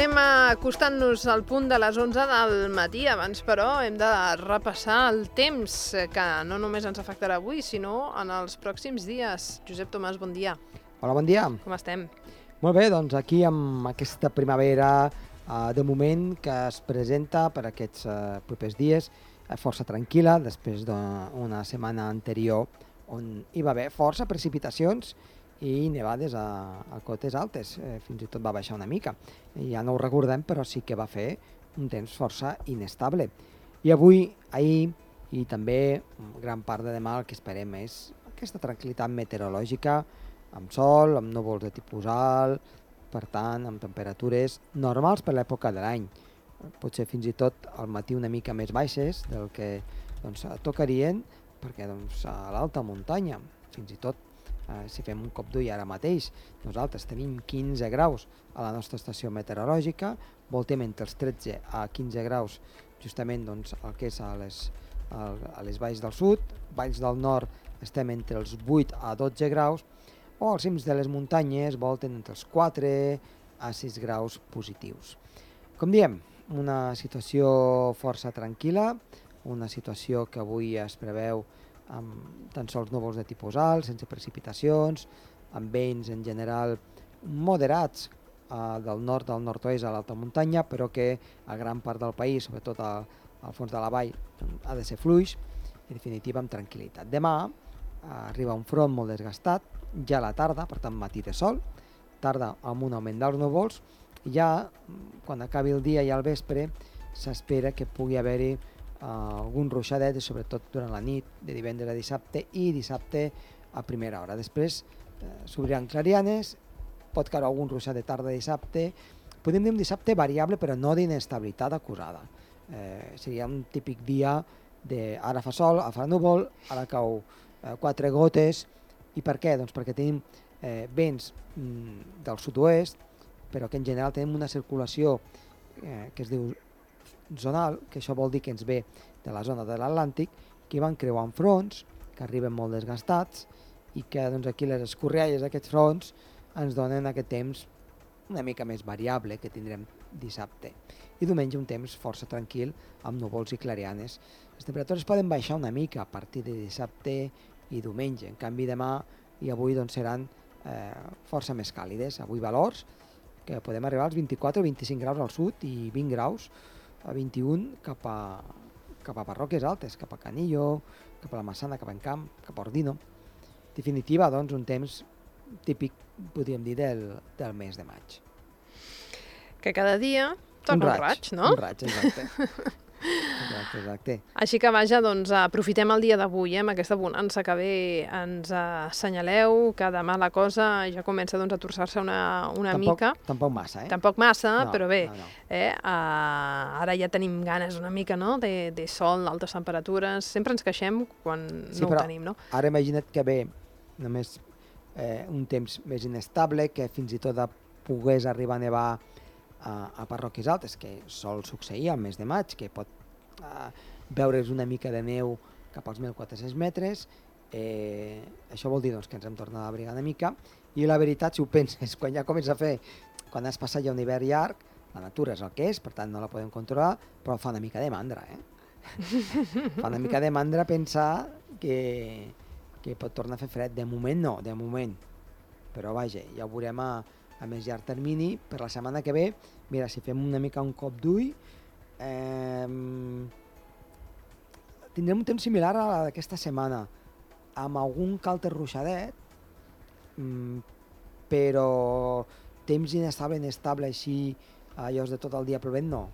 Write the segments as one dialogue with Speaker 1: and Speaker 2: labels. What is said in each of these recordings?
Speaker 1: Anem acostant-nos al punt de les 11 del matí. Abans, però, hem de repassar el temps, que no només ens afectarà avui, sinó en els pròxims dies. Josep Tomàs, bon dia.
Speaker 2: Hola, bon dia.
Speaker 1: Com estem?
Speaker 2: Molt bé, doncs aquí amb aquesta primavera de moment que es presenta per aquests propers dies, força tranquil·la, després d'una setmana anterior on hi va haver força precipitacions i nevades a cotes altes, fins i tot va baixar una mica. Ja no ho recordem, però sí que va fer un temps força inestable. I avui, ahir i també gran part de demà el que esperem és aquesta tranquil·litat meteorològica, amb sol, amb núvols de tipus alt, per tant, amb temperatures normals per l'època de l'any. Potser fins i tot al matí una mica més baixes del que tocarien, perquè a l'alta muntanya, fins i tot si fem un cop d'ull ara mateix, nosaltres tenim 15 graus a la nostra estació meteorològica, voltem entre els 13 a 15 graus justament el que és a les valls del sud, valls del nord estem entre els 8 a 12 graus, o als cims de les muntanyes volten entre els 4 a 6 graus positius. Com diem, una situació força tranquil·la, una situació que avui es preveu amb tan sols núvols de tipus alt, sense precipitacions, amb vents en general moderats del nord al nord-oest a l'alta muntanya, però que a gran part del país, sobretot al fons de la vall, ha de ser fluix, en definitiva amb tranquil·litat. Demà arriba un front molt desgastat, ja a la tarda, per tant matí de sol, tarda amb un augment dels núvols, i ja quan acabi el dia i al vespre s'espera que pugui haver-hi algun ruixadet, sobretot durant la nit de divendres a dissabte i dissabte a primera hora. Després s'obriran clarianes, pot caure algun ruixat de tarda dissabte, podem dir un dissabte variable però no d'inestabilitat acusada. Seria un típic dia de ara fa sol, ara fa núvol, ara cau 4 gotes. I per què? Doncs perquè tenim vents del sud-oest, però que en general tenim una circulació que es diu zonal, que això vol dir que ens ve de la zona de l'Atlàntic, que van creuant fronts, que arriben molt desgastats, i que aquí les escorrialles d'aquests fronts ens donen aquest temps una mica més variable que tindrem dissabte. I diumenge un temps força tranquil, amb núvols i clarianes. Les temperatures poden baixar una mica a partir de dissabte i diumenge, en canvi demà i avui seran força més càlides. Avui valors que podem arribar als 24 o 25 graus al sud i 20 graus a 21 cap a Parròquies Altes, cap a Canillo, cap a la Massana, cap a Encamp, cap a Ordino. En definitiva, un temps típic, podríem dir, del mes de maig.
Speaker 1: Que cada dia toca un raig, no?
Speaker 2: Un raig, exacte. Exacte.
Speaker 1: Així que vaja, aprofitem el dia d'avui, amb aquesta bonança que ve ens assenyaleu, que demà la cosa ja comença a torçar-se una mica.
Speaker 2: Tampoc massa,
Speaker 1: Tampoc massa, no, però bé,
Speaker 2: no.
Speaker 1: Ara ja tenim ganes una mica, no?, de sol, altes temperatures, sempre ens queixem quan no ho tenim, no?
Speaker 2: Ara imagina't que ve només un temps més inestable, que fins i tot pogués arribar a nevar a Parròquies Altes, que sol succeir al mes de maig, que pot veure's una mica de neu cap als 1.400 metres. Això vol dir que ens hem tornat a abrigar una mica, i la veritat, si ho penses, quan ja comença a fer, quan has passat ja un hivern llarg, la natura és el que és, per tant no la podem controlar, però fa una mica de mandra, fa una mica de mandra pensar que pot tornar a fer fred. De moment no, però vaja, ja ho veurem a més llarg termini. Per la setmana que ve, mira, si fem una mica un cop d'ull, tindrem un temps similar a aquesta setmana, amb algun calter ruixadet, però temps inestable així, allò de tot el dia plovent, no.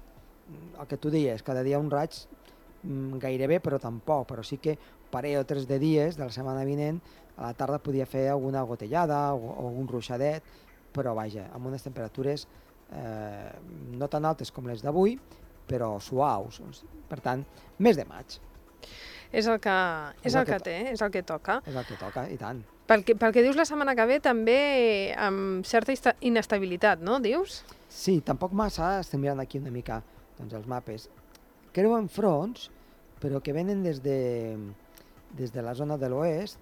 Speaker 2: El que tu deies, cada dia un raig, gairebé, però tampoc, però sí que parell o 3 de dies de la setmana vinent, a la tarda podia fer alguna gotellada o algun ruixadet, però vaja, amb unes temperatures no tan altes com les d'avui, però suaus. Per tant, mes de maig.
Speaker 1: És el que té, és el que toca.
Speaker 2: És el que toca, i tant.
Speaker 1: Pel que dius la setmana que ve, també amb certa inestabilitat, no, dius?
Speaker 2: Sí, tampoc massa, estem mirant aquí una mica els mapes. Creuen fronts, però que venen des de la zona de l'oest,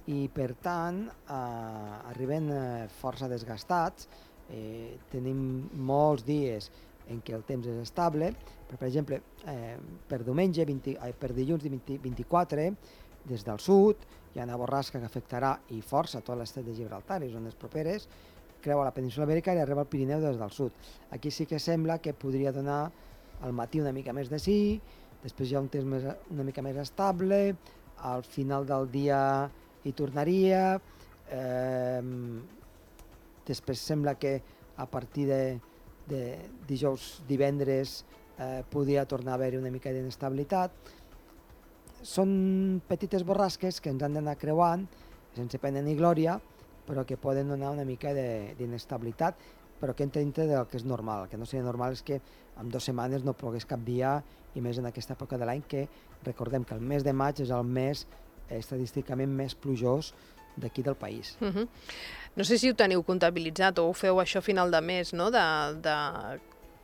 Speaker 2: i per tant arriben força desgastats, tenim molts dies en què el temps és estable, però, per exemple, per dilluns 24, des del sud, hi ha una borrasca que afectarà i força tot l'estret de Gibraltar i zones properes, creua la península Ibèrica i arriba al Pirineu des del sud. Aquí sí que sembla que podria donar al matí una mica més de sí, després hi ha un temps una mica més estable, al final del dia hi tornaria, després sembla que a partir de dijous, divendres, podria tornar a haver-hi una mica d'inestabilitat. Són petites borrasques que ens han d'anar creuant, sense pena ni glòria, però que poden donar una mica d'inestabilitat, però que entra dintre del que és normal. El que no seria normal és que en 2 setmanes no plogués cap dia, i més en aquesta època de l'any, que recordem que el mes de maig és el mes estadísticament més plujós d'aquí del país.
Speaker 1: No sé si ho teniu comptabilitzat o ho feu això a final de mes, no? De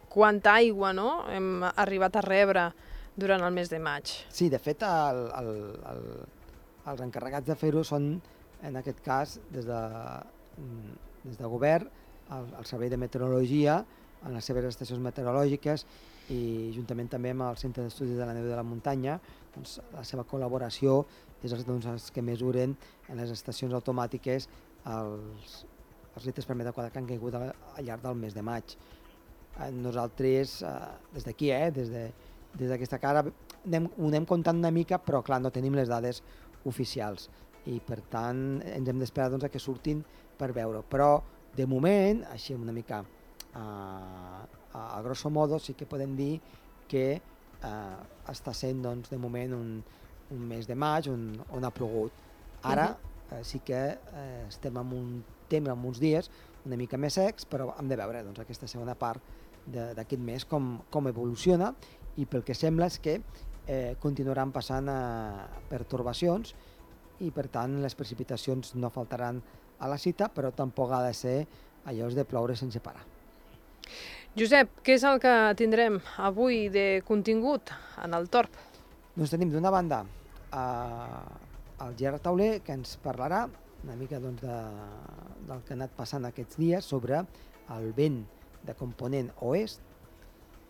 Speaker 1: quanta aigua, no?, hem arribat a rebre durant el mes de maig.
Speaker 2: Sí, de fet, els encarregats de fer-ho són, en aquest cas, des de govern, el Servei de Meteorologia, en les seves estacions meteorològiques i juntament també amb el Centre d'Estudis de la Neu i de la Muntanya, doncs, la seva col·laboració és els que mesuren en les estacions automàtiques els litres per metre quadrat que han caigut al llarg del mes de maig. Nosaltres, des d'aquí, des d'aquesta cara, ho anem comptant una mica, però clar, no tenim les dades oficials i per tant ens hem d'esperar a que surtin per veure. Però de moment, així una mica a grosso modo, sí que podem dir que està sent de moment un mes de maig on ha plogut. Ara sí que estem en un temps, en uns dies una mica més secs, però hem de veure aquesta segona part d'aquest mes com evoluciona, i pel que sembla és que continuaran passant pertorbacions i per tant les precipitacions no faltaran a la cita, però tampoc ha de ser allò de ploure sense parar.
Speaker 1: Josep, què és el que tindrem avui de contingut en el Torb?
Speaker 2: Doncs tenim d'una banda el Gerard Tauler, que ens parlarà una mica del que ha anat passant aquests dies sobre el vent de component oest,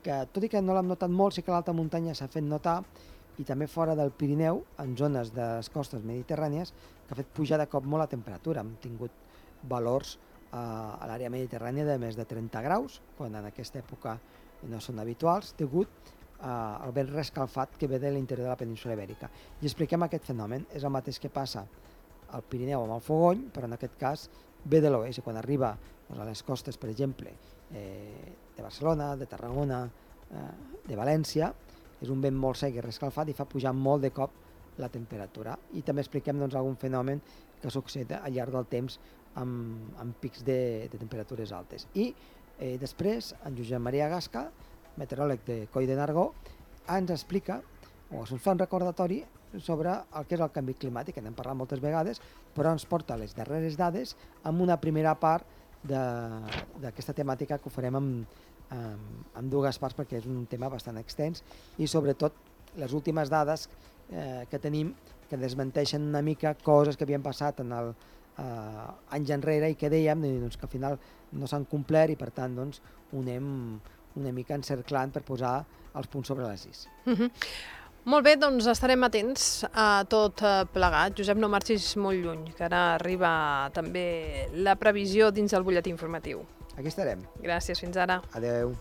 Speaker 2: que tot i que no l'hem notat molt, sí que l'alta muntanya s'ha fet notar, i també fora del Pirineu, en zones de les costes mediterrànies, que ha fet pujar de cop molt la temperatura. Hem tingut valors a l'àrea mediterrània de més de 30 graus, quan en aquesta època no són habituals, degut al vent rescalfat que ve de l'interior de la península Ibèrica. I expliquem aquest fenomen. És el mateix que passa al Pirineu amb el Fogony, però en aquest cas ve de l'oest, i quan arriba a les costes, per exemple, de Barcelona, de Tarragona, de València, és un vent molt sec i rescalfat i fa pujar molt de cop la temperatura. I també expliquem algun fenomen que succeeix al llarg del temps amb pics de temperatures altes. I després, en Josep Maria Gasca, meteoròleg de Coll de Nargó, ens explica, o ens fa un recordatori sobre el que és el canvi climàtic, que n'hem parlat moltes vegades, però ens porta les darreres dades amb una primera part d'aquesta temàtica que ho farem en 2 parts, perquè és un tema bastant extens, i sobretot les últimes dades que tenim que desmenteixen una mica coses que havien passat anys enrere i que dèiem que al final no s'han complert, i per tant ho anem una mica encerclant per posar els punts sobre les is.
Speaker 1: Molt bé, doncs estarem atents a tot plegat. Josep, no marxis molt lluny, que ara arriba també la previsió dins del butlletí informatiu.
Speaker 2: Aquí estarem.
Speaker 1: Gràcies, fins ara.
Speaker 2: Adeu.